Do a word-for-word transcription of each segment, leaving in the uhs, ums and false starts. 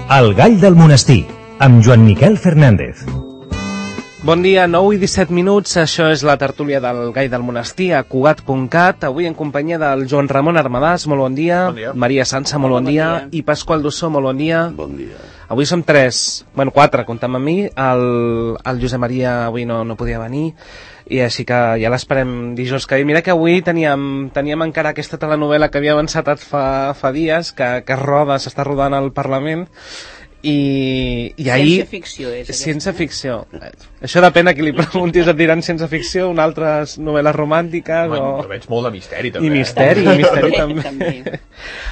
El gall del monestir, amb Joan Miquel Fernández. Bon dia, nou i disset minuts, això és la tertúlia del Gall del Monestir a Cugat punt cat, avui en companyia del Joan Ramon Armadàs, molt bon dia, bon dia. Maria Sança, molt bon, bon dia, dia, i Pasqual Dussó, molt bon dia. Bon dia. Avui som tres, bueno, quatre, comptant amb mi, el, el Josep Maria avui no, no podia venir, i així que ja l'esperem dijous que ve. Mira que avui teníem, teníem encara aquesta telenovela que havia avançat fa, fa dies, que, que roda, s'està rodant al Parlament, i, i ahir... Ciència ficció és aquesta. Ciència ficció. Això depèn a qui li preguntis, et diran ciència ficció, una altres novel·les romàntiques bueno, o... Jo veig molt de misteri també. I misteri, i misteri també. també.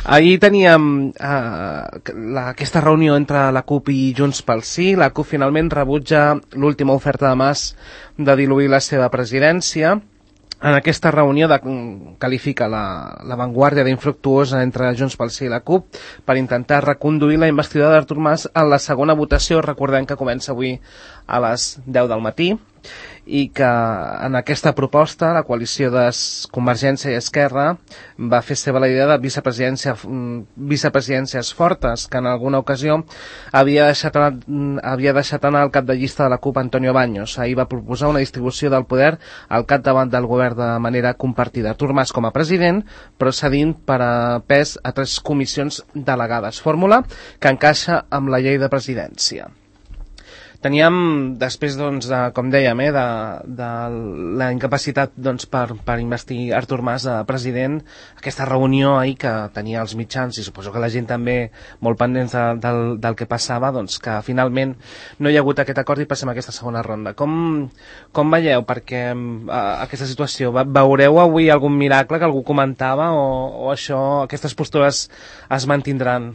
Ahir teníem uh, la, aquesta reunió entre la CUP i Junts pel Sí. La CUP finalment rebutja l'última oferta de Mas de diluir la seva presidència. En aquesta reunió de, qualifica la, la vanguardia d'infructuosa entre Junts pel Sí i la CUP per intentar reconduir la investidura d'Artur Mas en la segona votació. Recordem que comença avui a les deu del matí i que en aquesta proposta la coalició de Convergència i Esquerra va fer seva la idea de vicepresidència, vicepresidències fortes, que en alguna ocasió havia deixat, havia deixat anar el cap de llista de la CUP, Antonio Baños. Ahir va proposar una distribució del poder al capdavant del govern de manera compartida. Artur Mas com a president, però cedint per a pes a tres comissions delegades. Fórmula que encaixa amb la llei de presidència. Teníem, després, doncs, de, com dèiem, eh, de, de la incapacitat doncs, per, per investir Artur Mas a president, aquesta reunió ahir que tenia els mitjans, i suposo que la gent també molt pendents de, del, del que passava, doncs que finalment no hi ha hagut aquest acord i passem a aquesta segona ronda. Com, com veieu perquè a, aquesta situació? Veureu avui algun miracle que algú comentava o, o això, aquestes postures es mantindran?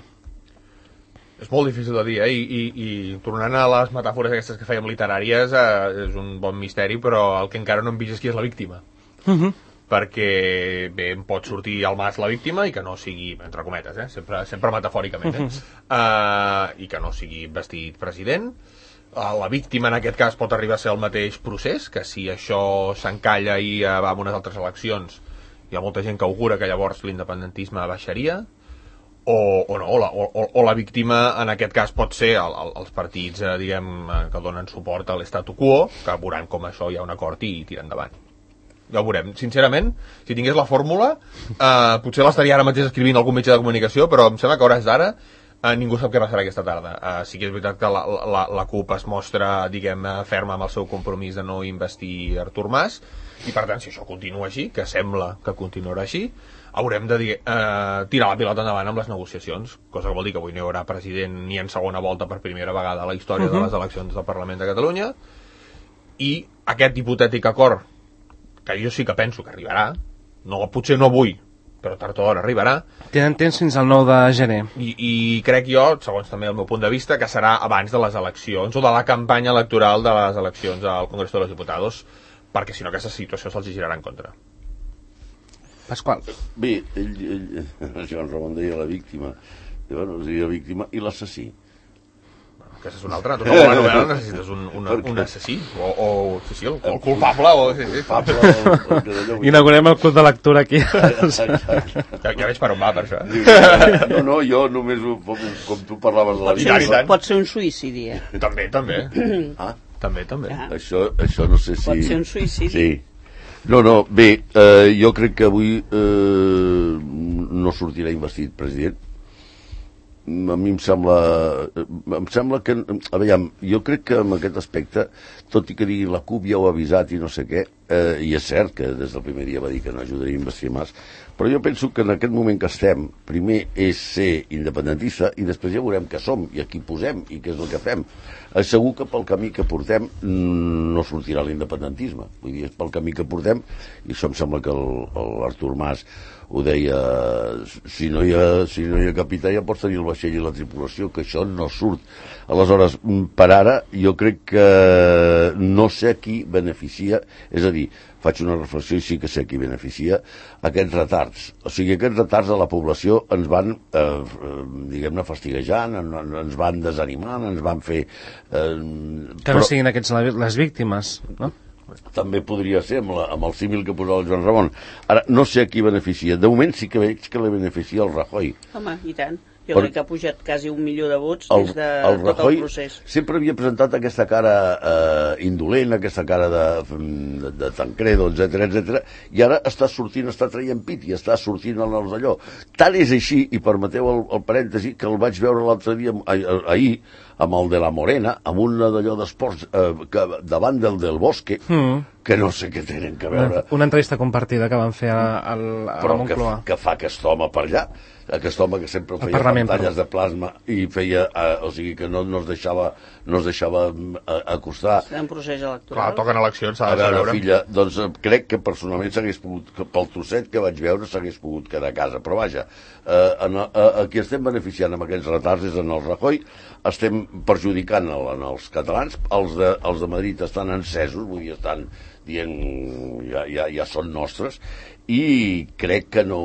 És molt difícil de dir, eh? I, i, i tornant a les metàfores aquestes que fèiem literàries, eh, és un bon misteri, però el que encara no hem vist és qui és la víctima. Uh-huh. Perquè, bé, em pot sortir al Mas la víctima i que no sigui, entre cometes, eh? sempre, sempre metafòricament, eh? Uh-huh. uh, i que no sigui vestit president. Uh, la víctima, en aquest cas, pot arribar a ser el mateix procés, que si això s'encalla i uh, va amb unes altres eleccions, hi ha molta gent que augura que llavors l'independentisme baixaria. O, o no, o la, o, o la víctima en aquest cas pot ser el, el, els partits eh, diguem, que donen suport a l'estatu quo, que veuran com això hi ha un acord i tirar endavant. Ja ho veurem. Sincerament, si tingués la fórmula, eh, potser l'estaria ara mateix escrivint algun mitjà de comunicació, però em sembla que a hores d'ara eh, ningú sap què passarà aquesta tarda. Eh, sí que és veritat que la, la, la CUP es mostra, diguem, ferma amb el seu compromís de no investir Artur Mas, i per tant, si això continua així, que sembla que continuarà així, haurem de dir, eh, tirar la pilota endavant amb les negociacions, cosa que vol dir que avui no hi haurà president ni en segona volta per primera vegada a la història uh-huh. de les eleccions del Parlament de Catalunya, i aquest hipotètic acord, que jo sí que penso que arribarà, no, potser no avui, però tard o d'hora arribarà. Tenen temps fins al nou de gener. I, I crec jo, segons també el meu punt de vista, que serà abans de les eleccions, o de la campanya electoral de les eleccions al Congreso de los Diputados, perquè si no aquesta situació se'ls girarà en contra. Pasqual. Bé, ell, ell, el Joan Ramon deia la víctima, i, bueno, deia la víctima i l'assassí. Bueno, aquesta és una altra. Tu no la novel·la necessites un, un, un assassí, o, o sí, sí, el, el culpable, o... Sí, sí. Culpable, el, el, el, inaugurem el club de lectura aquí. Ja, ja veig per on va, per això. No, no, jo només, com, com tu parlaves de la víctima... Pot ser un suïcidi, eh? També, també. Ah? També, també. Ah. Això, això no sé si... Pot ser un suïcidi. Sí. No, no, bé, eh, jo crec que avui eh, no sortirà investit president. A mi em sembla em sembla que, a veure, jo crec que en aquest aspecte, tot i que digui la CUP ja ho ha avisat i no sé què, eh, i és cert que des del primer dia va dir que no ajudaria a investir Mas, però jo penso que en aquest moment que estem, primer és ser independentista i després ja veurem què som i a qui posem i què és el que fem. Eh, segur que pel camí que portem no sortirà l'independentisme, vull dir, és pel camí que portem, i això em sembla que l'Artur Mas ho deia, si no hi ha, si no hi ha capità ja pots tenir el vaixell i la tripulació, que això no surt. Aleshores, per ara, jo crec que no sé qui beneficia, és a dir, faig una reflexió i sí que sé qui beneficia aquests retards. O sigui, aquests retards a la població ens van, eh, diguem-ne, fastiguejant, ens van desanimant, ens van fer... Eh, que no però... siguin aquests les víctimes, no? També podria ser amb, la, amb el símil que posava el Joan Ramon. Ara, no sé a qui beneficia. De moment sí que veig que li beneficia el Rajoy. Home, i tant. Jo crec que ha pujat quasi un milió de vots el, des de el tot Rajoy el procés. sempre havia presentat aquesta cara eh, indolent, aquesta cara de, de, de Tancredo, etcètera, etcètera, i ara està sortint, està traient pit i està sortint en els d'allò. Tant és així, i permeteu el, el parèntesi, que el vaig veure l'altre dia, ah, ahir, amb el de la Morena, amb un d'allò d'esports eh, que, davant del del Bosque, mm. que no sé què tenen que veure. Una entrevista compartida que van fer a, a, a Però la Moncloa. que, que fa aquest home per allà, aquest home que sempre feia Parlament, pantalles perdó. de plasma i feia, eh, o sigui que no, no es deixava, no es deixava eh, acostar. Està en procés electoral. Clar, toquen eleccions, s'ha A de veure, veure. filla, doncs eh, crec que personalment s'hagués pogut, que pel trosset que vaig veure s'hagués pogut quedar a casa, però vaja, eh, en, eh, a qui estem beneficiant amb aquests retards és en el Rajoy, estem perjudicant el, en els catalans, els de, els de Madrid estan encesos, vull dir, estan dient ja, ja, ja són nostres, i crec que no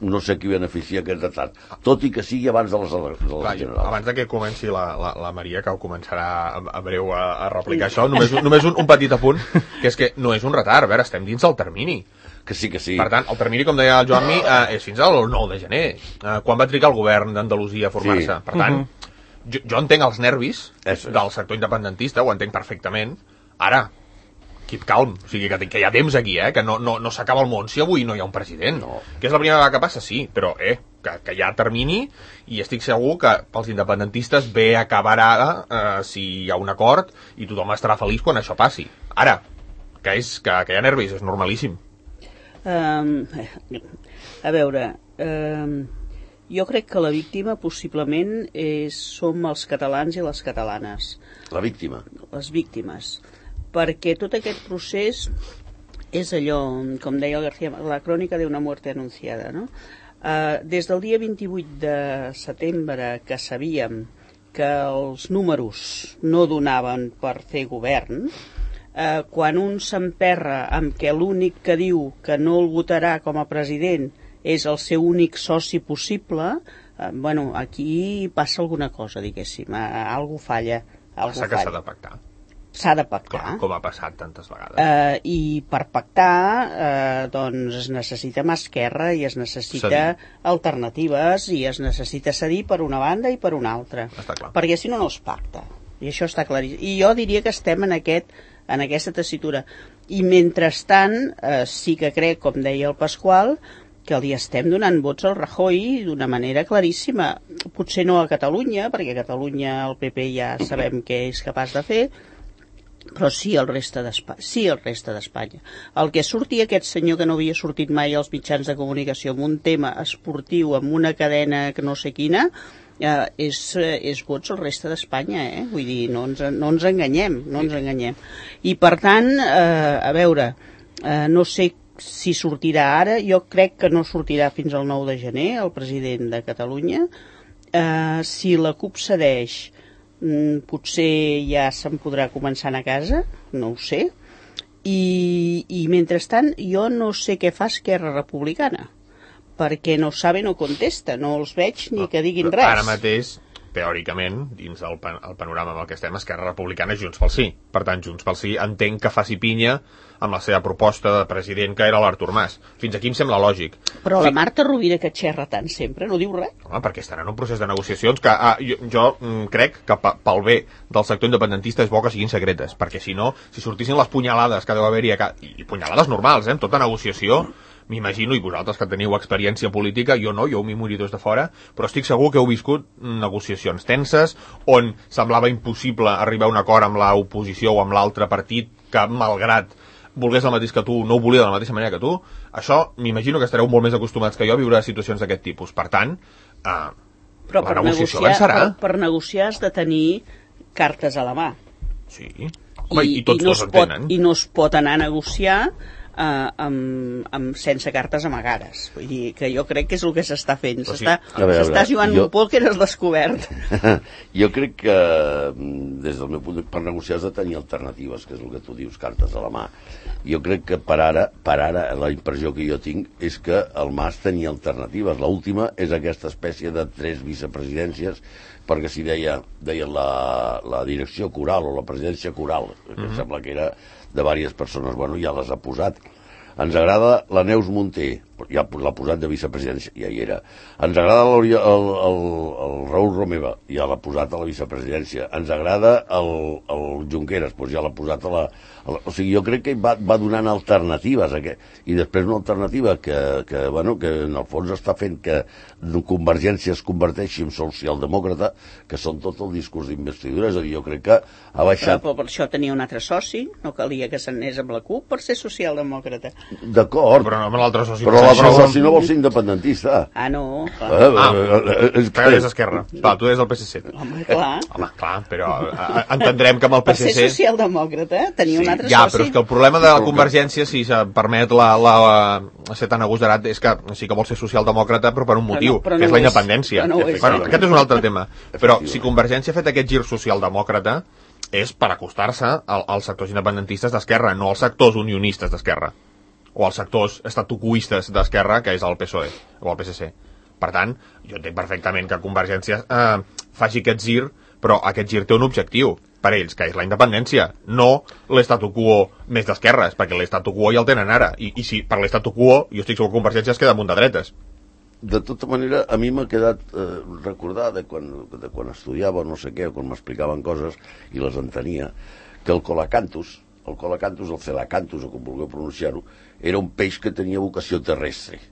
no sé qui beneficia aquest retard, tot i que sigui abans de les, de les Clar, generals. abans de que comenci la, la, la Maria, que ho començarà a, a breu a, a replicar això, només, només un, un petit apunt, que és que no és un retard, a veure, estem dins del termini. Que sí, que sí. Per tant, el termini, com deia el Joanmi, eh, és fins al nou de gener, eh, quan va trigar el govern d'Andalusia a formar-se. Sí. Per tant, uh-huh. jo, jo entenc els nervis Eso és. del sector independentista, ho entenc perfectament. Ara, keep calm, o sigui que, que hi ha temps aquí, eh, que no, no, no s'acaba el món si avui no hi ha un president. No. Que és la primera vegada que passa, sí, però eh, que, que hi ha termini, i estic segur que pels independentistes bé acabarà eh, si hi ha un acord i tothom estarà feliç quan això passi. Ara, que, és, que, que hi ha nervis, és normalíssim. Um, a veure, um, jo crec que la víctima possiblement és, som els catalans i les catalanes. La víctima. Les víctimes. Perquè tot aquest procés és allò, com deia el García, la crònica d'una muerte anunciada, no? Uh, des del dia vint-i-vuit de setembre que sabíem que els números no donaven per fer govern, uh, quan un s'emperra amb que l'únic que diu que no el votarà com a president és el seu únic soci possible, uh, bueno, aquí passa alguna cosa, diguéssim, uh, algú falla. Algú Passa que s'ha falla. de pactar. S'ha de pactar. Clar, com ha passat tantes vegades. Eh, I per pactar eh, doncs es necessita mà esquerra i es necessita Cedir. alternatives i es necessita cedir per una banda i per una altra. Està clar. Perquè si no, no es pacta. I això està claríssim. I jo diria que estem en, aquest, en aquesta tessitura. I mentrestant, eh, sí que crec, com deia el Pasqual, que li estem donant vots al Rajoy d'una manera claríssima. Potser no a Catalunya, perquè a Catalunya el P P ja sabem què és capaç de fer, però sí el reste d'Espanya. Sí el reste d'Espanya. El que sortia aquest senyor que no havia sortit mai als mitjans de comunicació amb un tema esportiu, amb una cadena que no sé quina, eh, és, és vots al reste d'Espanya, eh? Vull dir, no ens, no ens enganyem, no ens enganyem. I per tant, eh, a veure, eh, no sé si sortirà ara, jo crec que no sortirà fins al nou de gener, el president de Catalunya. Eh, si la CUP cedeix, Mm, potser ja se'n podrà començar a anar a casa, no ho sé, i, i mentrestant jo no sé què fa Esquerra Republicana, perquè no sabe, no contesta, no els veig ni que diguin res. Ara mateix, teòricament, dins del pan el panorama amb el que estem, Esquerra Republicana és Junts pel Sí. Per tant, Junts pel Sí entenc que faci pinya amb la seva proposta de president, que era l'Artur Mas. Fins aquí em sembla lògic. Però Fi... la Marta Rovira, que xerra tant sempre, no diu res. Home, perquè estan en un procés de negociacions que ah, jo, jo mm, crec que pel bé del sector independentista és bo que siguin secretes, perquè si no, si sortissin les punyalades que deu haver-hi, i punyalades normals, eh, en tota negociació, m'imagino, i vosaltres que teniu experiència política, jo no, jo m'hi moro des de fora, però estic segur que heu viscut negociacions tenses, on semblava impossible arribar a un acord amb l'oposició o amb l'altre partit, que malgrat volgués el mateix que tu, no ho volia de la mateixa manera que tu. Això m'imagino que estareu molt més acostumats que jo a viure situacions d'aquest tipus. Per tant, eh, però la per negociació negociar, avançarà. per, per negociar has de tenir cartes a la mà. Sí. Home, i, i tots i no dos es pot, entenen. I no es pot anar a negociar eh, amb, amb, sense cartes amagades. Vull dir que jo crec que és el que s'està fent. Però sí. S'està sí, jugant jo... un pòquer al descobert. Jo crec que, des del meu punt de vista, per negociar has de tenir alternatives, que és el que tu dius, cartes a la mà. Jo crec que per ara, per ara la impressió que jo tinc és que el Mas tenia alternatives. L'última és aquesta espècie de tres vicepresidències, perquè si deia, deia la, la direcció coral o la presidència coral, que mm-hmm. em sembla que era de diverses persones, bueno, ja les ha posat. Ens agrada la Neus Munté, ja l'ha posat de vicepresidència, ja hi era. Ens agrada el, el, el, el Raül Romeva, ja l'ha posat a la vicepresidència. Ens agrada el, el Junqueras, doncs ja l'ha posat a la, a la... O sigui, jo crec que va, va donant alternatives, aquest, i després una alternativa que, que, bueno, que en el fons està fent que Convergència es converteixi en socialdemòcrata, que són tot el discurs d'investidura, és a dir, jo crec que ha baixat... Però per això tenia un altre soci, no calia que s'anés amb la CUP per ser socialdemòcrata. D'acord, però no, l'altre soci, però l'altre soci no vol ser independentista. Ah, no, clar. Eh, Ah, eh, és que és Esquerra. Clar, tu eres del P S C. Home, clar. Home, clar, però eh, entendrem que amb el Per P S C... ser socialdemòcrata tenia Sí, un altre Ja, soci. però és que el problema de la Convergència, si se'n permet la, la, la ser tan agosarat, és que sí que vol ser socialdemòcrata, però per un motiu, Però no- però que és no la ho és. independència. Però no ho és. Bueno, aquest és un altre tema. Però si Convergència ha fet aquest gir socialdemòcrata, és per acostar-se al, als sectors independentistes d'Esquerra, no als sectors unionistes d'Esquerra, o als sectors estatucuistes d'Esquerra, que és el P S O E o el P S C. Per tant, jo entenc perfectament que Convergència eh, faci aquest gir, però aquest gir té un objectiu per ells, que és la independència, no l'estatu quo més d'esquerres, perquè l'estatu quo ja el tenen ara, i, i si per l'estatu quo, jo estic segur que Convergència es queda amunt de dretes. De tota manera, a mi m'ha quedat eh, recordar de quan, de quan estudiava no sé què, o quan m'explicaven coses i les entenia, que el colacanthus, el colacanthus, el celacanthus, o com vulgueu pronunciar-ho, era un peix que tenia vocació terrestre.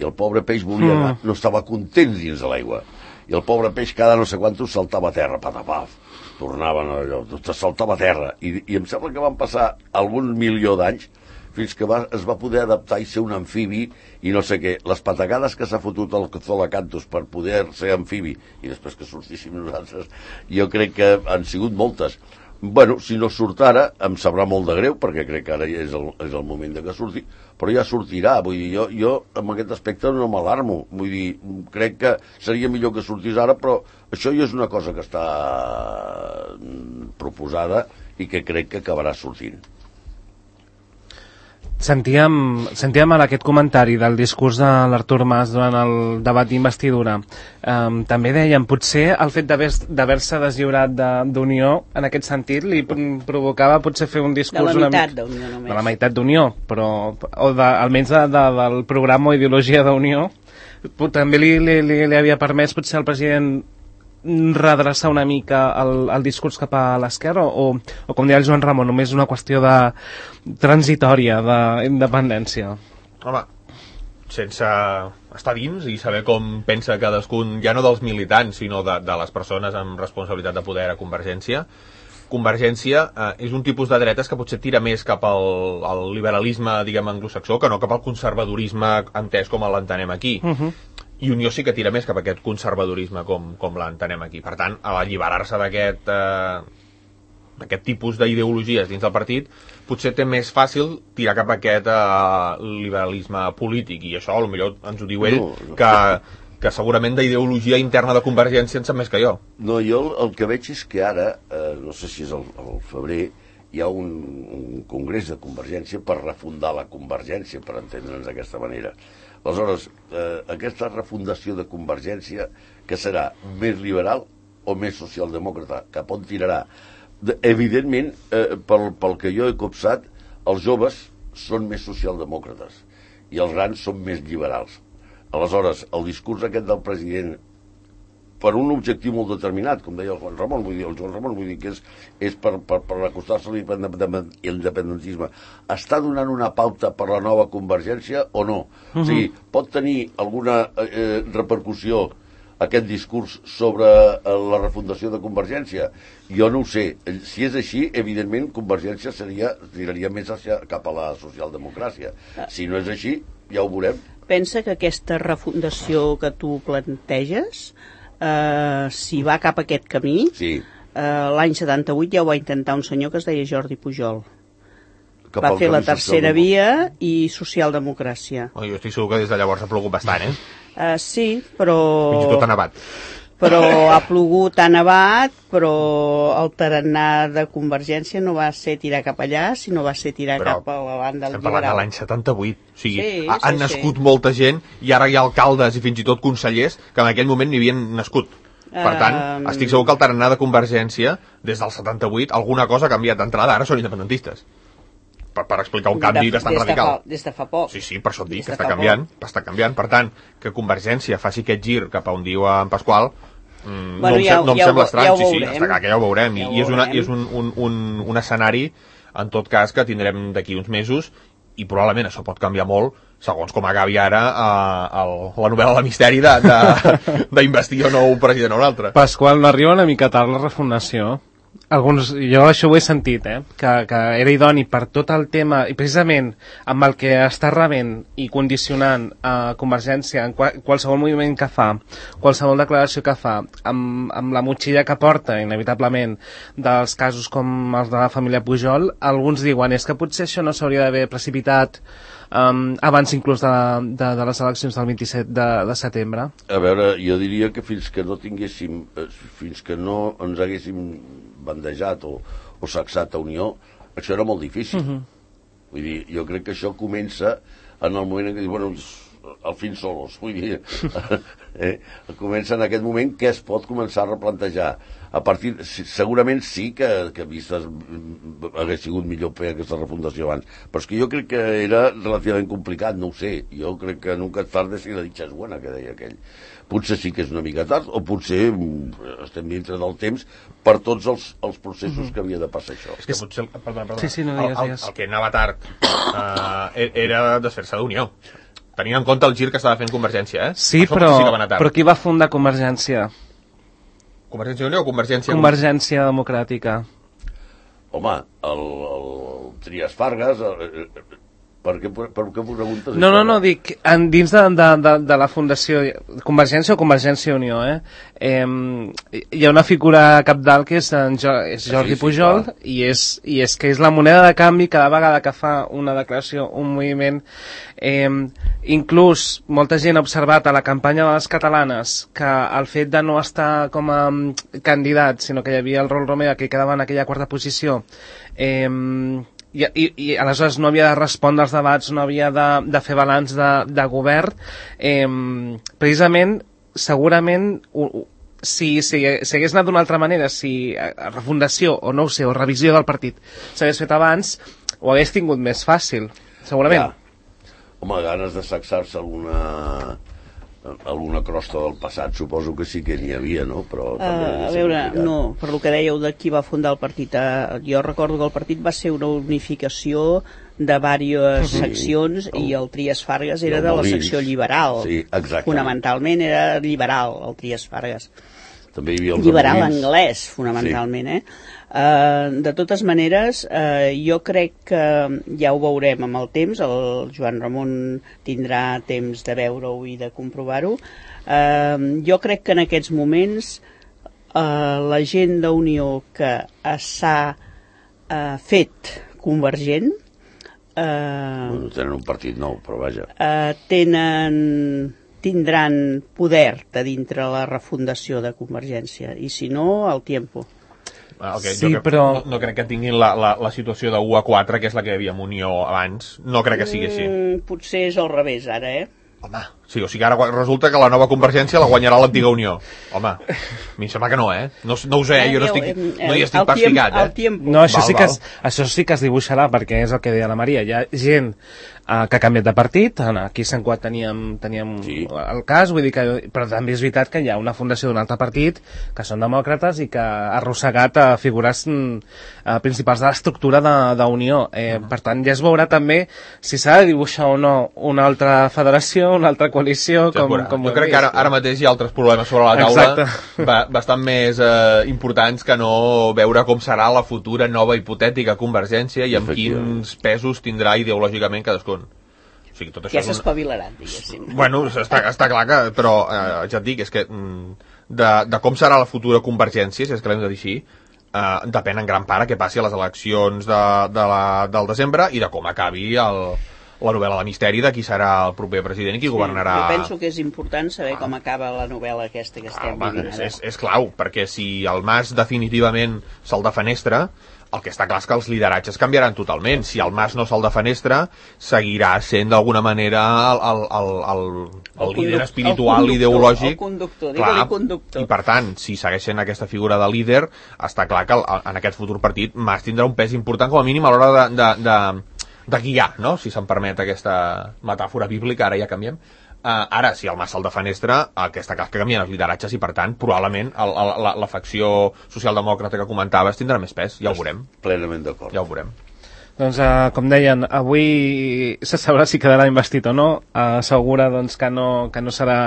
I el pobre peix volia anar, no estava content dins de l'aigua. I el pobre peix cada no sé quantos saltava a terra, patapaf, tornaven allò, saltava a terra. I, i em sembla que van passar algun milió d'anys fins que va, es va poder adaptar i ser un amfibi i no sé què. Les patacades que s'ha fotut el colacanthus per poder ser amfibi i després que sortíssim nosaltres, jo crec que han sigut moltes. Bueno, si no surt ara, em sabrà molt de greu, perquè crec que ara ja és el, és el moment de que surti, però ja sortirà. Vull dir, jo, jo amb aquest aspecte no m'alarmo. Vull dir, crec que seria millor que sortís ara, però això ja és una cosa que està proposada i que crec que acabarà sortint. Sentíem, sentíem ara aquest comentari del discurs de l'Artur Mas durant el debat d'investidura. Um, també dèiem, potser el fet d'haver-se deslliurat d'Unió, en aquest sentit, li provocava potser fer un discurs... De la una meitat mica, d'Unió només. de la meitat d'Unió, però o de, almenys de, de, del programa o ideologia d'Unió, també li, li, li, li havia permès potser al president redreçar una mica el, el discurs cap a l'esquerra o, o com deia el Joan Ramon, només una qüestió de transitòria d'independència? Home, sense estar dins i saber com pensa cadascun, ja no dels militants, sinó de, de les persones amb responsabilitat de poder a Convergència, Convergència eh, és un tipus de dretes que potser tira més cap al, al liberalisme, diguem, anglosaxó, que no cap al conservadorisme entès com l'entenem aquí. Uh -huh. I Unió sí que tira més cap a aquest conservadorisme com, com l'entenem aquí. Per tant, a alliberar-se d'aquest eh, d'aquest tipus d'ideologies dins del partit, potser té més fàcil tirar cap a aquest eh, liberalisme polític, i això potser ens ho diu ell, no, no. que, que segurament d'ideologia interna de Convergència en sap més que jo. No, jo el, el que veig és que ara, eh, no sé si és el, el febrer, hi ha un, un congrés de Convergència per refundar la Convergència, per entendre'ns d'aquesta manera. Aleshores, eh, aquesta refundació de Convergència, que serà més liberal o més socialdemòcrata, cap on tirarà? De, evidentment, eh, pel, pel que jo he copsat, els joves són més socialdemòcrates i els grans són més liberals. Aleshores, el discurs aquest del president, per un objectiu molt determinat, com deia el Juan Ramon, vull dir, el Joan Ramon, vull dir que és, és per, per, per acostar-se a l'independentisme, està donant una pauta per la nova Convergència o no? Uh-huh. O sigui, pot tenir alguna eh, repercussió aquest discurs sobre la refundació de Convergència? Jo no ho sé. Si és així, evidentment, Convergència seria, tiraria més hacia, cap a la socialdemocràcia. Si no és així, ja ho veurem. Pensa que aquesta refundació que tu planteges, eh, si va cap a aquest camí, sí. eh, l'any setanta-vuit ja ho va intentar un senyor que es deia Jordi Pujol. Cap va fer la tercera via i socialdemocràcia. Oh, jo estic segur que des de llavors ha plogut bastant, eh? Uh, sí, però... Fins i tot ha nevat. Però ha plogut, ha nevat, però el tarannà de Convergència no va ser tirar cap allà, sinó va ser tirar però cap a la banda estem parlant de l'any setanta-vuit. O sigui, sí, ha, han sí, nascut sí. molta gent i ara hi ha alcaldes i fins i tot consellers que en aquell moment n'hi havien nascut. Per tant, Um... estic segur que el tarannà de Convergència, des del setanta-vuit, alguna cosa ha canviat d'entrada, ara són independentistes. per, per explicar un canvi de, bastant des de radical. Fa, des de fa poc. Sí, sí, per això et dic Des que de està fa canviant, poc. està canviant. Per tant, que Convergència faci aquest gir cap a on diu en Pasqual, mm, Bueno, no em, ja- sem- no em ja ho sembla ve- estrany, ja ho sí, sí, veurem. està clar que ja ho veurem. Ja I, ho i és, una, veurem. i és un, un, un, un escenari, en tot cas, que tindrem d'aquí uns mesos, i probablement això pot canviar molt segons com acabi ara eh, el, la novel·la de misteri d'investir o no un president o un altre. Pasqual, no arriba una mica tard la refundació? Alguns, jo això ho he sentit, eh? que, que era idoni per tot el tema, i precisament amb el que està rebent i condicionant a Convergència en qual, qualsevol moviment que fa, qualsevol declaració que fa, amb, amb la motxilla que porta, inevitablement, dels casos com els de la família Pujol, alguns diuen és que potser això no s'hauria d'haver precipitat um, abans inclús de, de, de les eleccions del vint-i-set de, de setembre. A veure, jo diria que fins que no tinguéssim, eh, fins que no ens haguéssim bandejat o, o sacsat a Unió, això era molt difícil. Uh -huh. Vull dir, jo crec que això comença en el moment en què dius, bueno, al fin solos, vull dir, eh, comença en aquest moment que es pot començar a replantejar. A partir, segurament sí que, que vistes hagués sigut millor fer aquesta refundació abans, però és que jo crec que era relativament complicat, no ho sé, jo crec que nunca és tarde si la dicha és buena, que deia aquell. Potser sí que és una mica tard, o potser estem dintre del temps per tots els, els processos que havia de passar això. És que potser, perdona, perdona, Sí, sí, no, digues, el, el, digues. el que anava tard eh, era desfer-se d'Unió. Tenint en compte el gir que estava fent Convergència, eh? Sí, Això però, sí que va anar tard. però qui va fundar Convergència? Convergència i Unió o Convergència... Convergència Democràtica. Home, el, el Trias Fargas, el, per què, per, per què preguntes No, això? no, no, dic, en, dins de, de, de, de la Fundació Convergència o Convergència i Unió, eh? eh? Hi ha una figura capdalt que és, en jo, és Jordi Sí, sí, Pujol, clar. i, és, i és que és la moneda de canvi cada vegada que fa una declaració, un moviment. Eh, inclús molta gent ha observat a la campanya de les catalanes que el fet de no estar com a um, candidat, sinó que hi havia el Rol Romeva que quedava en aquella quarta posició, eh, I, i, i aleshores no havia de respondre als debats, no havia de, de fer balanç de, de govern, eh, precisament, segurament, u, u, si, si, si hagués anat d'una altra manera, si a, a refundació, o no ho sé, o revisió del partit s'hagués fet abans, ho hagués tingut més fàcil, segurament. Ja. Home, ganes de sacsar-se alguna, alguna crosta del passat, suposo que sí que n'hi havia, no? Però també Uh, a veure, no, per lo que dèieu de qui va fundar el partit, uh, jo recordo que el partit va ser una unificació de diverses Sí, seccions el- i el Trias Fargas i era el de la Molins. secció liberal. Sí, exactament. Fonamentalment era liberal, el Trias Fargas. També hi havia els Liberal Molins. anglès, fonamentalment, eh? Uh, de totes maneres, uh, jo crec que ja ho veurem amb el temps, el Joan Ramon tindrà temps de veure-ho i de comprovar-ho. Uh, jo crec que en aquests moments uh, la gent d'Unió que s'ha uh, fet convergent uh, Bueno, tenen un partit nou, però vaja. uh, tenen tindran poder de dintre la refundació de Convergència i si no, el tiempo. El que, Sí, jo crec, però- no, no crec que tinguin la, la, la situació de u a quatre, que és la que hi havia amb Unió abans. No crec que sigui així. Mm, potser és al revés ara, eh? Home, sí, o sigui, ara resulta que la nova Convergència la guanyarà l'antiga Unió. Home, a mi em sembla que no, eh? No, no ho sé, eh? Jo no, estic, no hi estic El pas tiemp- ficat, el eh? tiempo. No, això Val, sí, que val. es, això sí que es dibuixarà, perquè és el que deia la Maria. Hi ha gent uh, que ha canviat de partit, aquí a Sant Cugat teníem, teníem Sí. el cas, vull dir que, però també és veritat que hi ha una fundació d'un altre partit que són demòcrates i que ha arrossegat a figures mm, uh, principals de l'estructura d'Unió. Eh, uh -huh. Per tant, ja es veurà també si s'ha de dibuixar o no una altra federació, una altra coalició, Ja es com, veurà. com ho jo hem crec que ara, vist. ara mateix hi ha altres problemes sobre la taula Exacte. ba bastant més eh, importants que no veure com serà la futura nova hipotètica Convergència i amb Efectivament. quins pesos tindrà ideològicament cadascun. O sigui, tot això Ja és un... s'espavilaran, diguéssim. Bueno, està, està clar que... Però eh, ja et dic, és que mm, de, de com serà la futura Convergència, si és que l'hem de dir així, eh, depèn en gran part a què passi a les eleccions de, de la, del desembre i de com acabi el, la novel·la de misteri de qui serà el proper president i qui governarà... Jo penso que és important saber com acaba la novel·la aquesta que Ah, estem home, vivint és, ara. és, és clau, perquè si el Mas definitivament se'l defenestra, el que està clar és que els lideratges canviaran totalment. Si el Mas no se'l defenestra, seguirà sent d'alguna manera el, el, el, el, el, El líder conduc- espiritual, el conductor, ideològic. el conductor, Clar, digue-li conductor. I per tant, si segueix sent aquesta figura de líder, està clar que el, en aquest futur partit Mas tindrà un pes important com a mínim a l'hora de, de, de de guiar, no? Si se'm permet aquesta metàfora bíblica, ara ja canviem. Uh, ara, si el Mas se'l defenestra, aquesta cas que canvien els lideratges i, per tant, probablement el, el, la, la facció socialdemòcrata que comentaves tindrà més pes, ja ho veurem. Plenament d'acord. Ja ho veurem. Doncs, uh, com deien, avui se sabrà si quedarà investit o no. Uh, assegura doncs, que, no, que no, serà,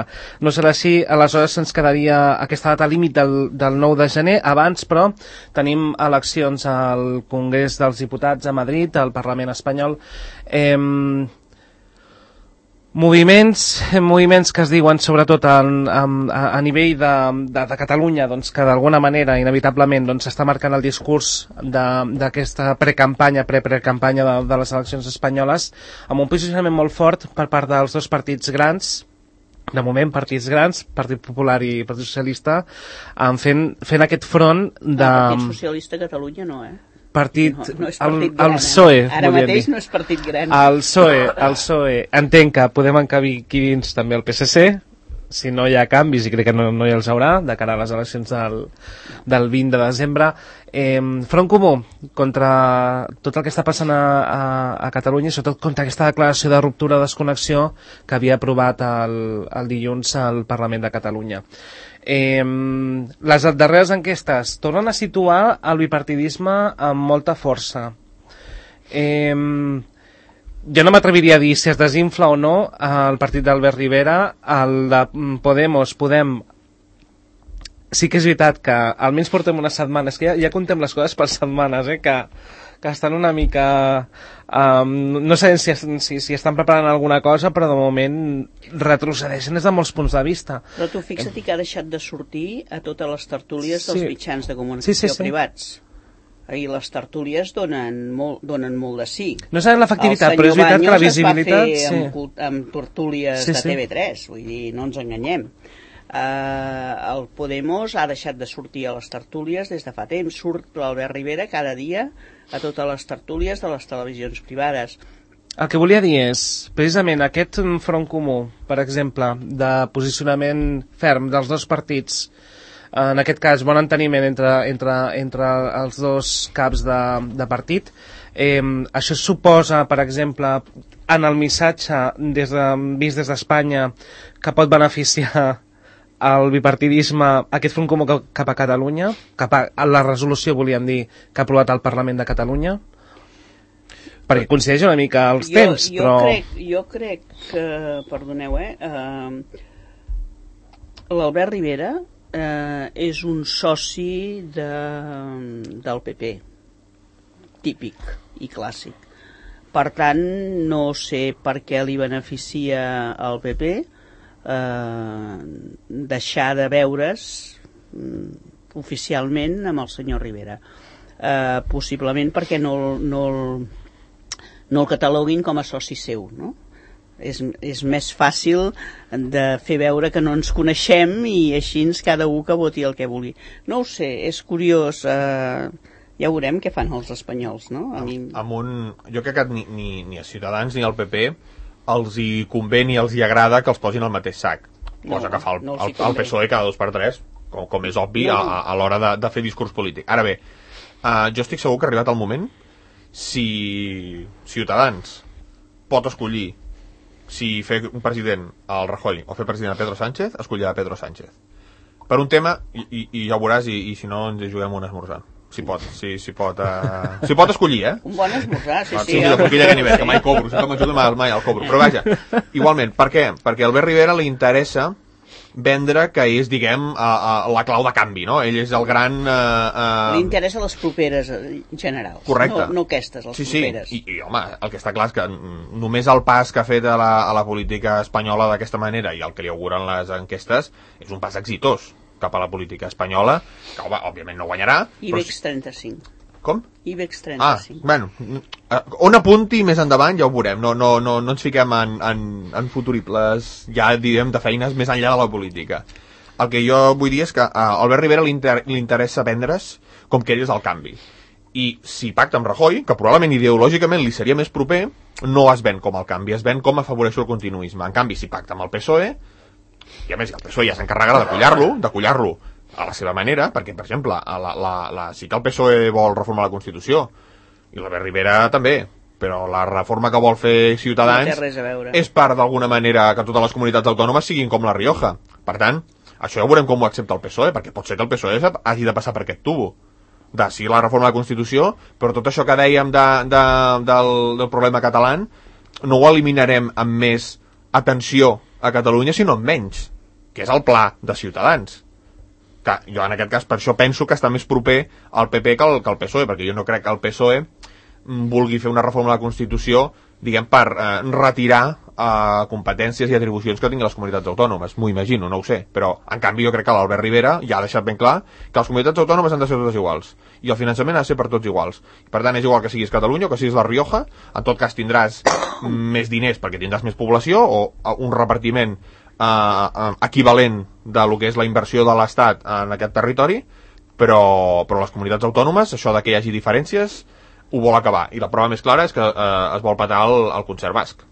no serà així. Aleshores ens quedaria aquesta data límit del, del nou de gener. Abans, però, tenim eleccions al Congrés dels Diputats a Madrid, al Parlament espanyol. Eh, Moviments, moviments que es diuen sobretot a, a, a nivell de, de, de Catalunya, doncs, que d'alguna manera, inevitablement, doncs, s'està marcant el discurs d'aquesta precampanya, pre-precampanya de, de les eleccions espanyoles, amb un posicionament molt fort per part dels dos partits grans, de moment partits grans, Partit Popular i Partit Socialista, fent, fent aquest front de... El Partit Socialista a Catalunya no, eh? Partit, no, no és el, partit gran, el P S O E, eh? Ara mateix dir. No és partit gran. El P S O E, el P S O E, entenc que podem encabir aquí dins també el P S C, si no hi ha canvis, i crec que no, no hi els haurà, de cara a les eleccions del, del vint de desembre. Eh, Front Comú, contra tot el que està passant a, a, a Catalunya, i sobretot contra aquesta declaració de ruptura de desconnexió que havia aprovat el, el dilluns al Parlament de Catalunya. Eh, les darreres enquestes tornen a situar el bipartidisme amb molta força. Eh, jo no m'atreviria a dir si es desinfla o no el partit d'Albert Rivera. El de Podemos, Podem, sí que és veritat que almenys portem unes setmanes, que ja, ja contem les coses per setmanes, eh, que, que estan una mica... Um, no sé si, si, si estan preparant alguna cosa, però de moment retrocedeixen des de molts punts de vista. Però tu fixa't que ha deixat de sortir a totes les tertúlies dels sí. mitjans de comunicació sí, sí, sí. privats. I les tertúlies donen molt, donen molt de sí. No sabem l'efectivitat, però és veritat que la visibilitat... El senyor Baños es va fer sí. amb, amb tertúlies sí, sí. de T V tres, vull dir, no ens enganyem. Uh, el Podemos ha deixat de sortir a les tertúlies des de fa temps. Surt l'Albert Rivera cada dia a totes les tertúlies de les televisions privades. El que volia dir és, precisament, aquest front comú, per exemple, de posicionament ferm dels dos partits, en aquest cas, bon enteniment entre, entre, entre els dos caps de, de partit, eh, això suposa, per exemple, en el missatge des de, vist des d'Espanya, que pot beneficiar el bipartidisme, aquest front comú cap a Catalunya, cap a, a la resolució, volíem dir, que ha aprovat el Parlament de Catalunya, perquè coincideix una mica els jo, temps, jo però... Crec, jo crec que, perdoneu, eh, eh l'Albert Rivera eh, és un soci de, del P P, típic i clàssic. Per tant, no sé per què li beneficia al P P Eh, deixar de veure's mm, oficialment amb el senyor Rivera, eh, possiblement perquè no, no, no el cataloguin com a soci seu, no? És, és més fàcil de fer veure que no ens coneixem i així cada un que voti el que vulgui. No ho sé, és curiós, eh, ja veurem què fan els espanyols, no? A mi... amb un, jo crec que ni, ni, ni a Ciutadans ni al P P els hi convé ni els hi agrada que els posin al mateix sac, cosa no, que fa el, no el, el P S O E cada dos per tres, com, com és obvi, no, no. a, a l'hora de, de fer discurs polític. Ara bé, uh, jo estic segur que ha arribat el moment, si Ciutadans pot escollir si fer un president al Rajoy o fer president a Pedro Sánchez, escollirà Pedro Sánchez. Per un tema, i, i, i ja ho veuràs, i, i si no ens hi juguem un esmorzar. Si pot, si, si pot, uh... si pot escollir, eh? Un bon esmorzar, sí, ah, sí. Sí, de coquilla que nivell, que mai cobro, si no m'ajuda mai, mai el cobro. Però vaja, igualment, per què? Perquè a Albert Rivera li interessa vendre que és, diguem, uh, uh, la clau de canvi, no? Ell és el gran... Uh, uh... Li interessa les properes generals. Correcte. No, no aquestes, les sí, properes. Sí, i, i home, el que està clar és que només el pas que ha fet a la, a la política espanyola d'aquesta manera i el que li auguren les enquestes és un pas exitós cap a la política espanyola, que home, òbviament no guanyarà. IBEX trenta-cinc. Com? IBEX trenta-cinc. Ah, bueno, on apunti més endavant ja ho veurem, no, no, no, no ens fiquem en, en, en futuribles, ja direm, de feines més enllà de la política. El que jo vull dir és que a Albert Rivera li, inter li interessa vendre's com que ell és el canvi. I si pacta amb Rajoy, que probablement ideològicament li seria més proper, no es ven com el canvi, es ven com afavoreixo el continuisme. En canvi, si pacta amb el P S O E, i a més el P S O E ja s'encarregarà de collar-lo, de collar-lo a la seva manera, perquè, per exemple, la, la, la, sí que el P S O E vol reformar la Constitució, i l'Albert Rivera també, però la reforma que vol fer Ciutadans no té res a veure. és part d'alguna manera que totes les comunitats autònomes siguin com la Rioja. Per tant, això ja veurem com ho accepta el P S O E, perquè pot ser que el P S O E hagi de passar per aquest tubo de sí la reforma de la Constitució, però tot això que dèiem de, de, del, del problema català no ho eliminarem amb més atenció a Catalunya, sinó amb menys, que és el pla de Ciutadans. Que jo en aquest cas per això penso que està més proper al P P que al, que al P S O E, perquè jo no crec que el P S O E vulgui fer una reforma de la Constitució, diguem, per eh, retirar eh, competències i atribucions que tinguin les comunitats autònomes. M'ho imagino, no ho sé. Però, en canvi, jo crec que l'Albert Rivera ja ha deixat ben clar que les comunitats autònomes han de ser totes iguals. I el finançament ha de ser per tots iguals. Per tant, és igual que siguis Catalunya o que siguis la Rioja. En tot cas, tindràs més diners perquè tindràs més població o un repartiment eh, equivalent de lo que és la inversió de l'Estat en aquest territori, però, però les comunitats autònomes, això de que hi hagi diferències, ho vol acabar, i la prova més clara és que eh, es vol petar el, el concert basc.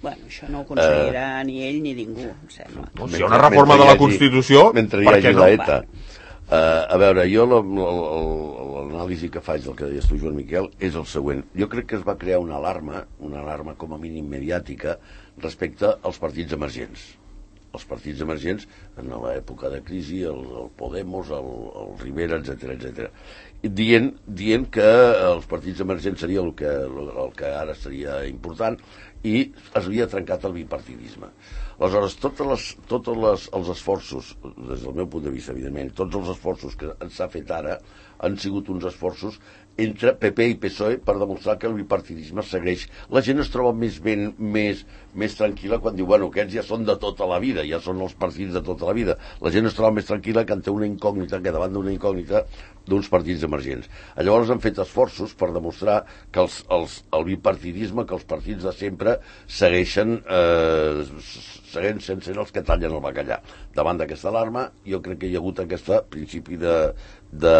Bueno, això no ho aconseguirà uh, ni ell ni ningú, em sembla. No, si hi ha una reforma de la Constitució, mentre hi hagi no? l'ETA. Uh, a veure, jo l'anàlisi que faig del que deies tu, Joan Miquel, és el següent. Jo crec que es va crear una alarma, una alarma com a mínim mediàtica, respecte als partits emergents. Els partits emergents, en l'època de crisi, el, el Podemos, el, el Rivera, etcètera, etcètera. Dient, dient que els partits emergents seria el que, el que ara seria important i es havia trencat el bipartidisme. Aleshores, tots les, totes les, els esforços, des del meu punt de vista, evidentment, tots els esforços que s'ha fet ara han sigut uns esforços entre P P i P S O E per demostrar que el bipartidisme segueix. La gent es troba més ben, més, més tranquil·la quan diu, bueno, aquests ja són de tota la vida, ja són els partits de tota la vida. La gent es troba més tranquil·la que en té una incògnita, que davant d'una incògnita d'uns partits emergents. Llavors han fet esforços per demostrar que els, els, el bipartidisme, que els partits de sempre segueixen, eh, segueixen sense ser els que tallen el bacallà. Davant d'aquesta alarma, jo crec que hi ha hagut aquest principi de, de,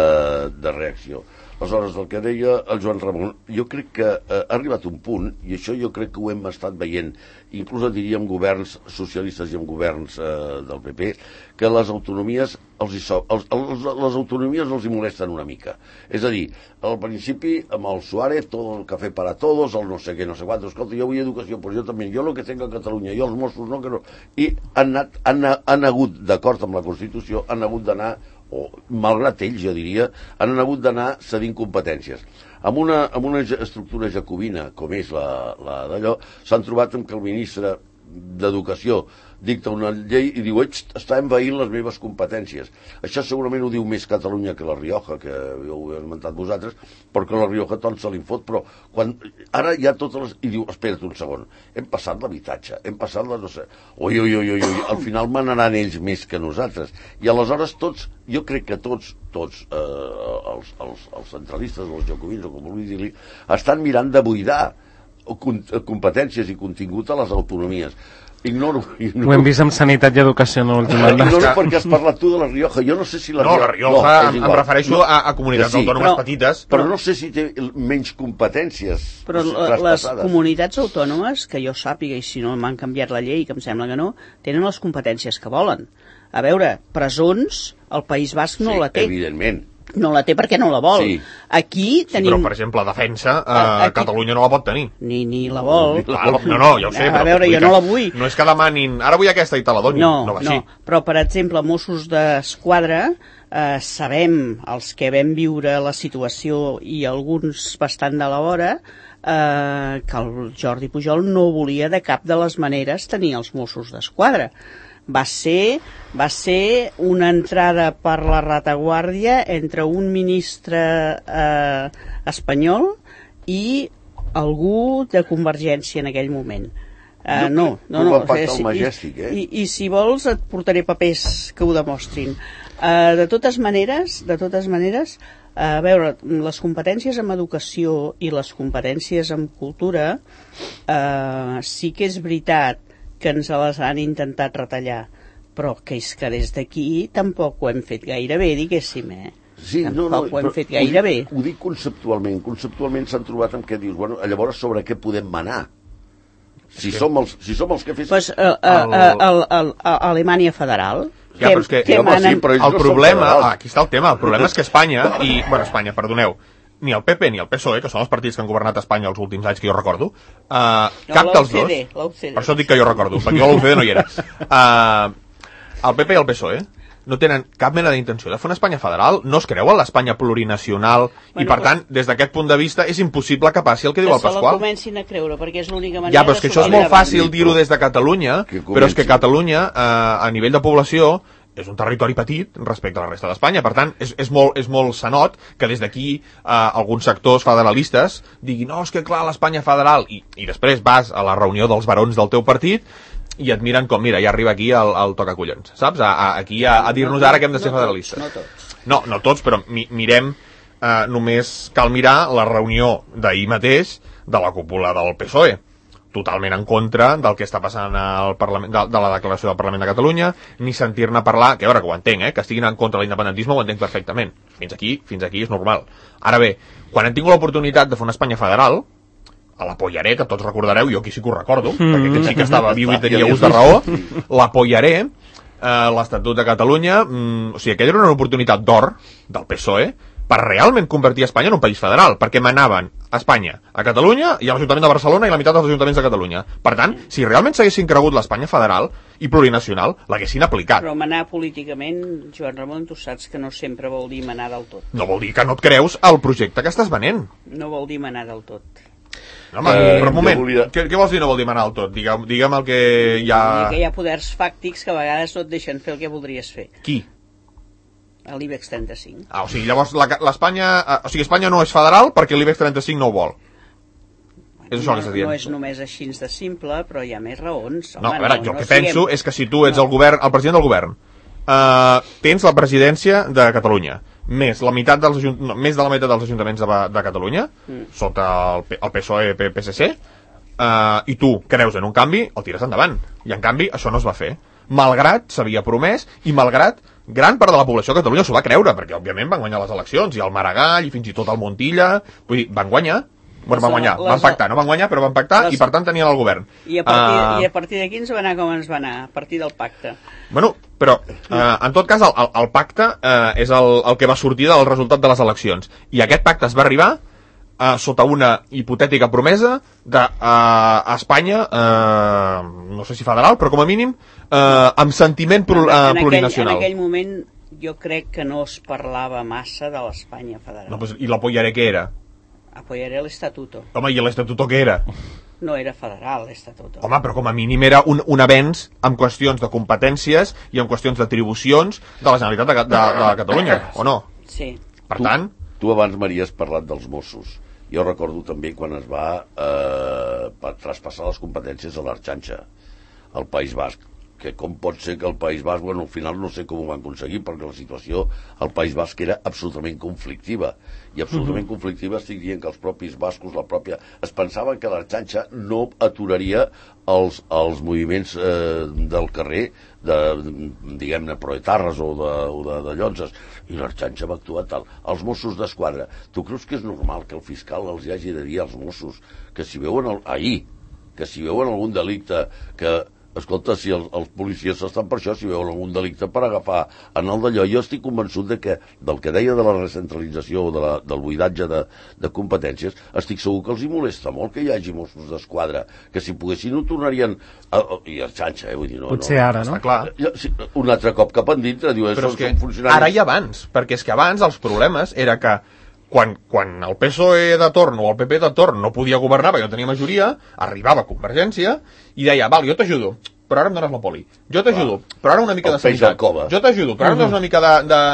de reacció. Aleshores, el que deia el Joan Ramon, jo crec que eh, ha arribat un punt, i això jo crec que ho hem estat veient, inclús diríem governs socialistes i amb governs eh, del P P, que les autonomies els hi so, els, els, les autonomies els hi molesten una mica. És a dir, al principi, amb el Suárez, tot el cafè para todos, el no sé què, no sé quant, escolta, jo vull educació, però jo també, jo el que tinc a Catalunya, jo els Mossos no, que no... I han, anat, han, han hagut, d'acord amb la Constitució, han hagut d'anar, o malgrat ells, jo diria, han hagut d'anar cedint competències. Amb una, amb una estructura jacobina, com és la, la d'allò, s'han trobat amb que el ministre d'Educació dicta una llei i diu, està envaint les meves competències. Això segurament ho diu més Catalunya que la Rioja, que ho heu esmentat vosaltres, perquè la Rioja tot se li fot, però quan ara hi ha totes les... I diu, espera't un segon, hem passat l'habitatge, hem passat la... no sé... Ui, ui, ui, ui, ui, al final manaran ells més que nosaltres. I aleshores tots, jo crec que tots, tots eh, els, els, els centralistes, els jacobins, o com vulgui dir-li, estan mirant de buidar competències i contingut a les autonomies. Ignoro, ignoro. Ho hem vist amb sanitat i educació en l'últim any. Ignoro perquè has parlat tu de la Rioja. Jo no sé si la no, Rioja... la Rioja, no, em, em refereixo no, a, a comunitats sí, autònomes però, petites. Però no sé si té menys competències. Però les comunitats autònomes, que jo sàpiga, i si no m'han canviat la llei, que em sembla que no, tenen les competències que volen. A veure, presons, el País Basc no sí, la té. Evidentment. No la té perquè no la vol. Sí. Aquí tenim... Sí, però, per exemple, defensa, eh, aquí... Catalunya no la pot tenir. Ni, ni la vol. No, no, no, ja ho sé. A però veure, jo no la vull. No és que demanin, ara vull aquesta i te la donin. No, no, no. Però, per exemple, Mossos d'Esquadra, eh, sabem, els que vam viure la situació i alguns bastant de la vora, eh, que el Jordi Pujol no volia de cap de les maneres tenir els Mossos d'Esquadra. Va ser, va ser una entrada per la retaguardia entre un ministre eh, espanyol i algú de Convergència en aquell moment. Uh, no, no, no. no sí, Majestic, eh? I, i, I si vols et portaré papers que ho demostrin. Uh, de totes maneres, de totes maneres, a veure, les competències en educació i les competències en cultura uh, sí que és veritat que ens les han intentat retallar, però que és que des d'aquí tampoc ho hem fet gaire bé, diguéssim, eh? Sí, tampoc no, no, ho hem fet gaire ho dic, bé. Ho dic conceptualment. Conceptualment s'han trobat amb què dius, bueno, llavors sobre què podem manar? Si, sí. som, els, si som els que fes... Pues, uh, uh, uh, el... uh, uh, Alemanya Federal... Ja, però és que que ja, manen... sí, però el no problema, ah, aquí està el tema, el problema és que Espanya, i, bueno, Espanya, perdoneu, ni el P P ni el P S O E, que són els partits que han governat Espanya els últims anys que jo recordo, uh, no, cap dels dos... l'U C D. Per això dic que jo recordo, perquè jo a l'U C D no hi era. Uh, el P P i el P S O E no tenen cap mena d'intenció de fer una Espanya federal, no es creuen l'Espanya plurinacional, bueno, i per tant, des d'aquest punt de vista, és impossible que passi el que, que diu el Pasqual. Que se la comencin a creure, perquè és l'única manera... Ja, però és que això és molt fàcil dir-ho des de Catalunya, però és que Catalunya, eh, a nivell de població, és un territori petit respecte a la resta d'Espanya. Per tant, és, és, molt, és molt sanot que des d'aquí eh, alguns sectors federalistes diguin, no, és que clar, l'Espanya federal, i, i després vas a la reunió dels barons del teu partit i et miren com, mira, ja arriba aquí el, el tocacollons, saps? A, a, aquí a, a dir-nos ara que hem de ser no federalistes. Tots, no tots. No, no tots, però mi, mirem, eh, només cal mirar la reunió d'ahir mateix de la cúpula del P S O E, totalment en contra del que està passant al Parlament, de, de la declaració del Parlament de Catalunya, ni sentir-ne parlar, que a veure, que ho entenc, eh, que estiguin en contra de l'independentisme ho entenc perfectament. Fins aquí, fins aquí és normal. Ara bé, quan hem tingut l'oportunitat de fer una Espanya federal, a la Pollaré, que tots recordareu, jo aquí sí que ho recordo, mm. perquè aquest sí que estava viu i tenia ús de raó, la Pollaré, eh, l'Estatut de Catalunya, mm, o sigui, aquella era una oportunitat d'or del P S O E per realment convertir Espanya en un país federal, perquè manaven a Espanya, a Catalunya i a l'Ajuntament de Barcelona i la meitat dels ajuntaments de Catalunya. Per tant, si realment s'haguessin cregut l'Espanya federal i plurinacional, l'haguessin aplicat. Però manar políticament, Joan Ramon, tu saps que no sempre vol dir manar del tot. No vol dir que no et creus el projecte que estàs venent. No vol dir manar del tot. No, home, eh, però un moment, volia... què, què vols dir no vol dir manar del tot? Digue'm, digue'm el que hi ha... Que hi ha poders fàctics que a vegades no et deixen fer el que voldries fer. Qui? A l'IBEX trenta-cinc. Ah, o sigui, llavors l'Espanya... O sigui, Espanya no és federal perquè l'IBEX trenta-cinc no ho vol. Bueno, és això no, que estàs dient. No és només així de simple, però hi ha més raons. Home, no, a veure, no, jo no el que siguem... penso és que si tu ets no. el govern, el president del govern, uh, tens la presidència de Catalunya, més la meitat dels no, més de la meitat dels ajuntaments de, de Catalunya, mm. sota el, el P S O E, P S C, uh, i tu creus en un canvi, el tires endavant. I en canvi això no es va fer. Malgrat s'havia promès i malgrat gran part de la població de Catalunya s'ho va creure, perquè òbviament van guanyar les eleccions, i el Maragall, i fins i tot el Montilla, vull dir, van guanyar, bueno, van guanyar, van pactar, no van guanyar, però van pactar, les... i per tant tenien el govern. I a partir, uh... i a partir d'aquí ens va anar com ens va anar, a partir del pacte. Bueno, però, uh, en tot cas, el, el, el pacte uh, és el, el que va sortir del resultat de les eleccions, i aquest pacte es va arribar uh, sota una hipotètica promesa de uh, Espanya, uh, no sé si federal, però com a mínim, uh, amb sentiment pro, uh, en, plurinacional. Aquell, en aquell moment jo crec que no es parlava massa de l'Espanya federal. No, pues, i l'Apoyaré què era? Apoyaré l'Estatuto. Home, i l'Estatuto què era? No era federal, l'Estatuto. Home, però com a mínim era un, un avenç en qüestions de competències i en qüestions d'atribucions de la Generalitat de, de, de Catalunya, o no? Sí. Per tu, tant... Tu abans, Maria, has parlat dels Mossos. Jo recordo també quan es va eh, traspassar les competències a l'Arxanxa, al País Basc, que com pot ser que el País Basc, bueno, al final no sé com ho van aconseguir, perquè la situació al País Basc era absolutament conflictiva, i absolutament uh-huh. conflictiva estic dient que els propis bascos, la pròpia... es pensaven que l'Arxanxa no aturaria els, els moviments eh, del carrer, de, diguem-ne, proetarres o de, o de, de llonzes, i l'Arxanxa va actuar tal. Els Mossos d'Esquadra, tu creus que és normal que el fiscal els hagi de dir als Mossos que si veuen el, ahir, que si veuen algun delicte que... Escolta, si els, els policies estan per això, si veuen algun delicte per agafar en el d'allò, jo estic convençut de que, del que deia de la recentralització o de la, del buidatge de, de competències, estic segur que els hi molesta molt que hi hagi Mossos d'Esquadra, que si poguessin ho tornarien a, a, i a xanxa, eh? Vull dir, no, potser no, ara, no? Està clar. Sí, un altre cop cap endintre, diu, però són, és que són funcionaris. ara i abans, perquè és que abans els problemes era que quan, quan el P S O E de torn o el P P de torn no podia governar perquè no tenia majoria, arribava Convergència i deia, val, jo t'ajudo, però ara em dones la poli. Jo t'ajudo, però ara una mica el de sanitat. Jo t'ajudo, però ara em dones Uh-huh. una mica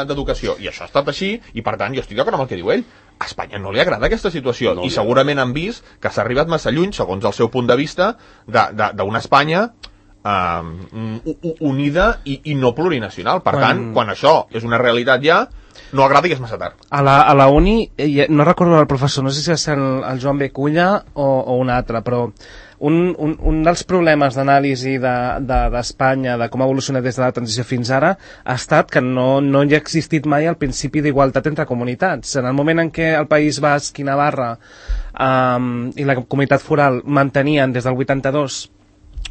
d'educació. De, de, I això ha estat així, i per tant jo estic d'acord amb el que diu ell. A Espanya no li agrada aquesta situació, No, i segurament han vist que s'ha arribat massa lluny, segons el seu punt de vista, d'una Espanya eh, unida i, i no plurinacional. Per Quan- tant, quan això és una realitat ja, no agrada i és massa tard. A la, a la uni, eh, no recordo el professor, no sé si és el, el Joan B. Culla o, o un altre, però un, un, un dels problemes d'anàlisi d'Espanya, de, de, de com ha evolucionat des de la transició fins ara, ha estat que no, no hi ha existit mai el principi d'igualtat entre comunitats. En el moment en què el País Basc i Navarra um, i la comunitat foral mantenien des del vuitanta-dos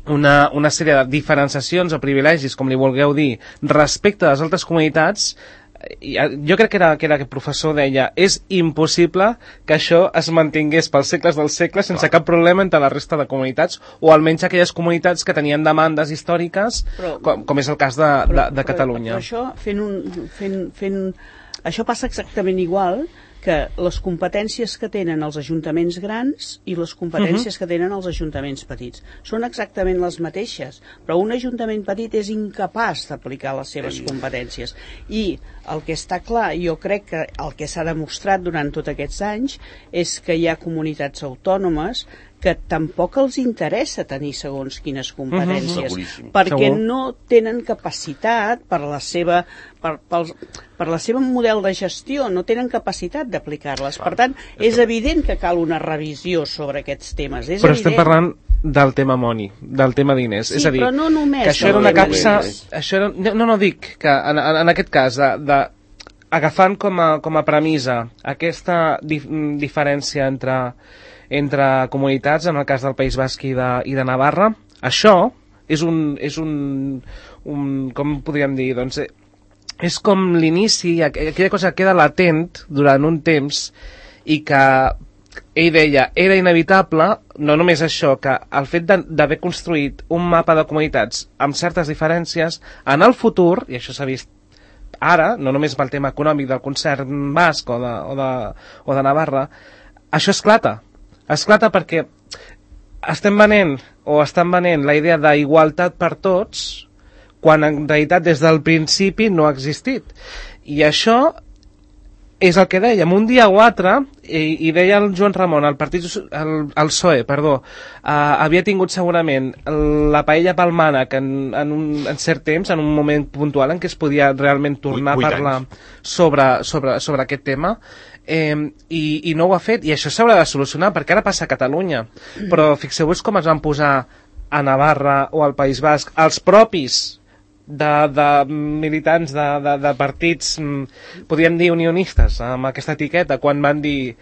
una, una sèrie de diferenciacions o privilegis, com li vulgueu dir, respecte a les altres comunitats, jo crec que era, que era aquest professor deia, és impossible que això es mantingués pels segles dels segles sense cap problema entre la resta de comunitats, o almenys aquelles comunitats que tenien demandes històriques, però, com, com és el cas de, però, de, de Catalunya. Però, però això, fent un, fent, fent, això passa exactament igual que les competències que tenen els ajuntaments grans i les competències uh-huh. que tenen els ajuntaments petits. Són exactament les mateixes, però un ajuntament petit és incapaç d'aplicar les seves competències. I el que està clar, jo crec que el que s'ha demostrat durant tots aquests anys és que hi ha comunitats autònomes que tampoc els interessa tenir segons quines competències, uh-huh. perquè Segur. no tenen capacitat per la seva per, per, per la seva model de gestió, no tenen capacitat d'aplicar-les. Per tant, és evident que cal una revisió sobre aquests temes. És però evident. Estem parlant del tema money, del tema diners. Sí, és a dir, però no només que això era una capsa... Diners. Això era, no, no dic que en, en aquest cas de, de agafant com a, com a premissa aquesta dif diferència entre entre comunitats, en el cas del País Basc i de, i de Navarra, això és un, és un, un com podríem dir, doncs, és com l'inici, aquella cosa que queda latent durant un temps i que ell deia, era inevitable, no només això, que el fet d'haver construït un mapa de comunitats amb certes diferències, en el futur, i això s'ha vist ara, no només pel tema econòmic del concert basc o de, o de, o de Navarra, això esclata. Esclata perquè estem venent o estan venent la idea d'igualtat per tots quan en realitat des del principi no ha existit. I això és el que dèiem, un dia o altre, i, i deia el Joan Ramon, el partit, el, el P S O E, perdó, eh, havia tingut segurament la paella pel mànec en, en, un, en cert temps, en un moment puntual en què es podia realment tornar a parlar sobre, sobre, sobre aquest tema, eh, i, i no ho ha fet, i això s'haurà de solucionar, perquè ara passa a Catalunya, però fixeu-vos com es van posar a Navarra o al País Basc els propis de, de militants de, de, de partits, podríem dir unionistes, amb aquesta etiqueta, quan van dir,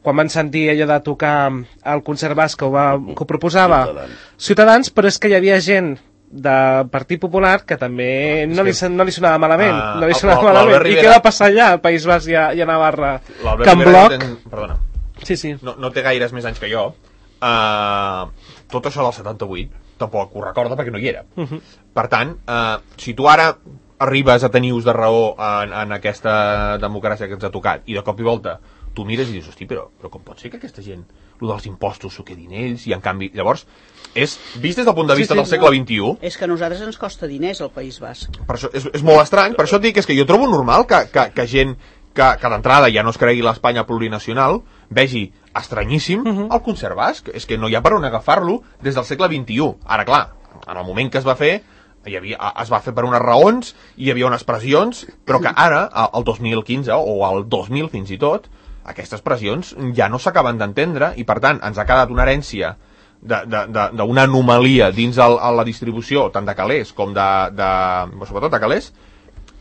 quan van sentir allò de tocar el concert basc que ho, va, que ho proposava Ciutadans. Ciutadans, però és que hi havia gent del Partit Popular que també ah, no, li, no li sonava malament, uh, no li sonava malament. I què va passar allà al País Basc i a, i a Navarra? Que en bloc... Ten... Perdona, sí, sí. No, no té gaires més anys que jo. Uh, tot això del setanta-vuit tampoc ho recorda perquè no hi era. Uh -huh. Per tant, uh, si tu ara arribes a tenir ús de raó en, en aquesta democràcia que ens ha tocat i de cop i volta tu mires i dius, hosti, però, però com pot ser que aquesta gent, el dels impostos s'ho quedin ells, i en canvi, llavors, és, vist des del punt de vista sí, sí, del segle no. vint-i-u... És que a nosaltres ens costa diners el País Basc. Per això és, és molt estrany, per això et dic, és que jo trobo normal que, que, que gent que, que d'entrada ja no es cregui l'Espanya plurinacional, vegi estranyíssim uh -huh. el concert basc, és que no hi ha per on agafar-lo des del segle vint-i-u. Ara, clar, en el moment que es va fer, hi havia, es va fer per unes raons, hi havia unes pressions, però que ara, el dos mil quinze o el dos mil fins i tot, aquestes pressions ja no s'acaben d'entendre i per tant ens ha quedat una herència d'una anomalia dins el, la distribució tant de calés com de, de sobretot de calés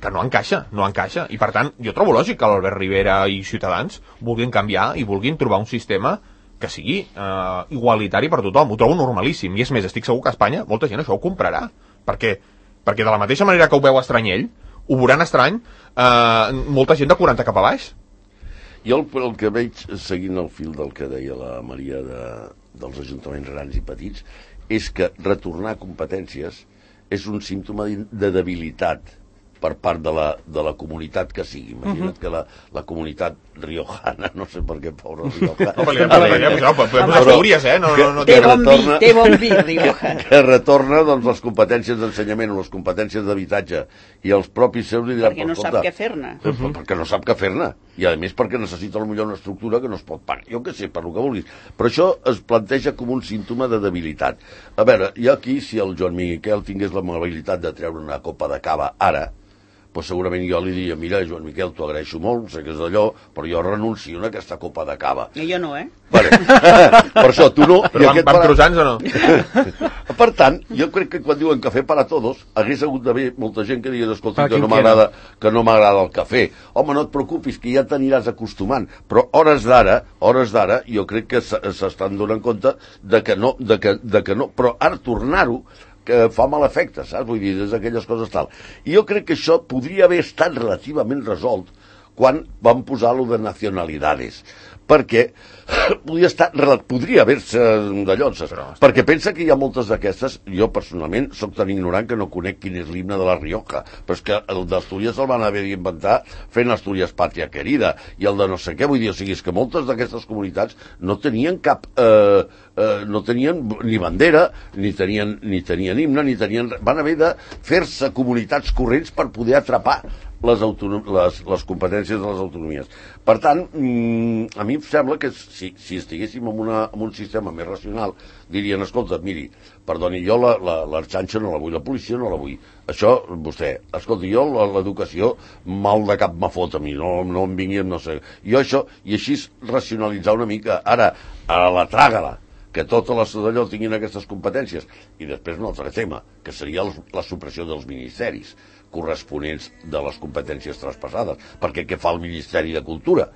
que no encaixa, no encaixa i per tant jo trobo lògic que l'Albert Rivera i Ciutadans vulguin canviar i vulguin trobar un sistema que sigui eh, igualitari per tothom, ho trobo normalíssim i és més, estic segur que a Espanya molta gent això ho comprarà perquè, perquè de la mateixa manera que ho veu estrany ell, ho veuran estrany eh, molta gent de quaranta cap a baix. Jo el, el que veig, seguint el fil del que deia la Maria de, dels ajuntaments grans i petits, és que retornar competències és un símptoma de debilitat per part de la, de la comunitat que sigui. Imagina't uh -huh. que la, la comunitat riojana, no sé per què, pobra riojana... No, perquè podem posar Astúries, eh? No, no, no, té bon vi, té bon vi, Rioja. Que, que retorna doncs, les competències d'ensenyament o les competències d'habitatge i els propis seus li diran... Perquè no sap què fer-ne. Uh -huh. Perquè no sap què fer-ne. I a més perquè necessita potser una estructura que no es pot pagar. Jo què sé, per lo que vulguis. Però això es planteja com un símptoma de debilitat. A veure, jo aquí, si el Joan Miquel tingués l'amabilitat de treure una copa de cava ara, pues segurament jo li diria, mira, Joan Miquel, t'ho agraeixo molt, sé que és d'allò, però jo renuncio a aquesta copa de cava. I jo no, eh? Vale. Per això, tu no... Però van, van para... croissants o no? Per tant, jo crec que quan diuen cafè para todos, hagués hagut d'haver molta gent que digués, escolta, que no m'agrada que no m'agrada el cafè. Home, no et preocupis, que ja t'aniràs acostumant. Però hores d'ara, hores d'ara, jo crec que s'estan donant compte de que no, de que, de que no. Però ara tornar-ho, que fa mal efecte, saps? Vull dir, és aquelles coses tal. I jo crec que això podria haver estat relativament resolt quan van posar lo de nacionalidades, perquè podria, estar, podria haver-se d'allò, perquè pensa que hi ha moltes d'aquestes, jo personalment soc tan ignorant que no conec quin és l'himne de la Rioja, però és que el d'Astúries el van haver d'inventar fent Astúries Pàtria Querida, i el de no sé què, vull dir, o sigui, és que moltes d'aquestes comunitats no tenien cap, eh, eh, no tenien ni bandera, ni tenien, ni tenien himne, ni tenien, van haver de fer-se comunitats corrents per poder atrapar les, les, les competències de les autonomies. Per tant, mm, a mi em sembla que si, si estiguéssim en, una, en un sistema més racional, dirien, escolta, miri, perdoni, jo la, la, l'arxanxa no la vull, la policia no la vull. Això, vostè, escolta, jo l'educació mal de cap me fot a mi, no, no em vingui amb no sé. Jo això, i així racionalitzar una mica. Ara, a la tràgala, que totes les d'allò tinguin aquestes competències. I després un altre tema, que seria el, la supressió dels ministeris corresponents de les competències traspassades. Perquè què fa el Ministeri de Cultura?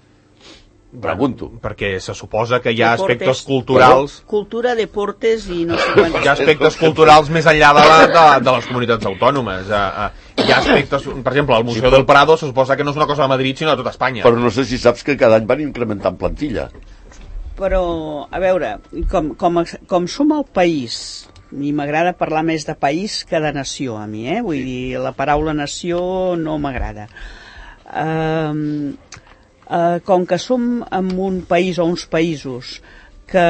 Pregunto. Perquè se suposa que hi ha deportes, aspectes culturals... Cultura, deportes i no sé quants... Hi ha aspectes culturals més enllà de, la, de, de les comunitats autònomes. Hi ha aspectes... Per exemple, el Museu sí, del Prado se suposa que no és una cosa de Madrid, sinó de tota Espanya. Però no sé si saps que cada any van incrementant plantilla. Però, a veure, com, com, com som el país... i m'agrada parlar més de país que de nació, a mi, eh? Vull dir, la paraula nació no m'agrada. Uh, uh, com que som en un país o uns països que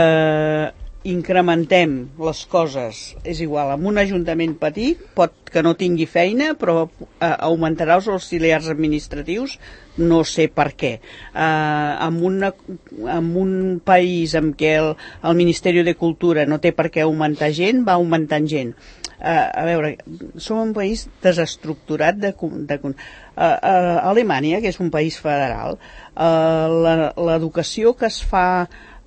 incrementem les coses, és igual, amb un ajuntament petit, pot que no tingui feina, però uh, augmentarà els auxiliars administratius, no sé per què. Uh, en, una, en un país en què el, el Ministeri de Cultura no té per què augmentar gent, va augmentant gent. Uh, a veure, som un país desestructurat de... de uh, uh, Alemanya, que és un país federal, uh, l'educació que es fa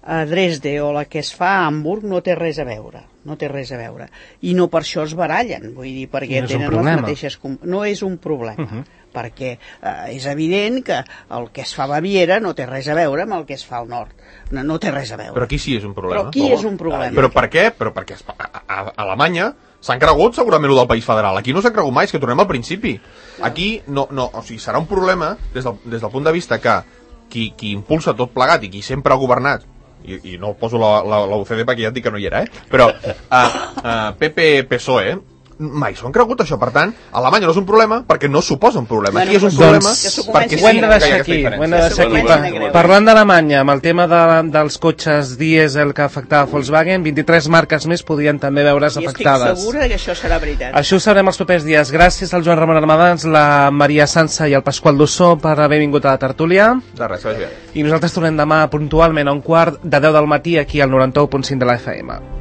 a Dresde o la que es fa a Hamburg no té res a veure, no té res a veure. I no per això es barallen, vull dir, perquè no tenen les mateixes... No és un problema, uh-huh. perquè eh, és evident que el que es fa a Baviera no té res a veure amb el que es fa al nord. No, no té res a veure. Però aquí sí és un problema. Però aquí oh, és un problema. Però per què? Però perquè a, a, a Alemanya s'han cregut segurament el del país federal. Aquí no s'han cregut mai, és que tornem al principi. Aquí no, no, o sigui, serà un problema des del, des del punt de vista que qui, qui impulsa tot plegat i qui sempre ha governat, i, i no poso la, la, la U C D perquè ja et dic que no hi era, eh? Però uh, uh, P P P S O E mai s'ho han cregut això, per tant Alemanya no és un problema perquè no suposa un problema. Bueno, aquí és un problema doncs, perquè ho hem de deixar aquí, ho hem de deixar aquí. Pa, parlant d'Alemanya, amb el tema de, dels cotxes dièsel que afectava Volkswagen, vint-i-tres marques més podrien també veure's afectades. I estic segura que això serà veritat. Això ho sabrem els propers dies. Gràcies al Joan Ramon Armadans, la Maria Sansa i el Pasqual Dussó per haver vingut a la tertúlia. De res, que vagi bé. I nosaltres tornem demà puntualment a un quart de deu del matí aquí al noranta u punt cinc de la F M.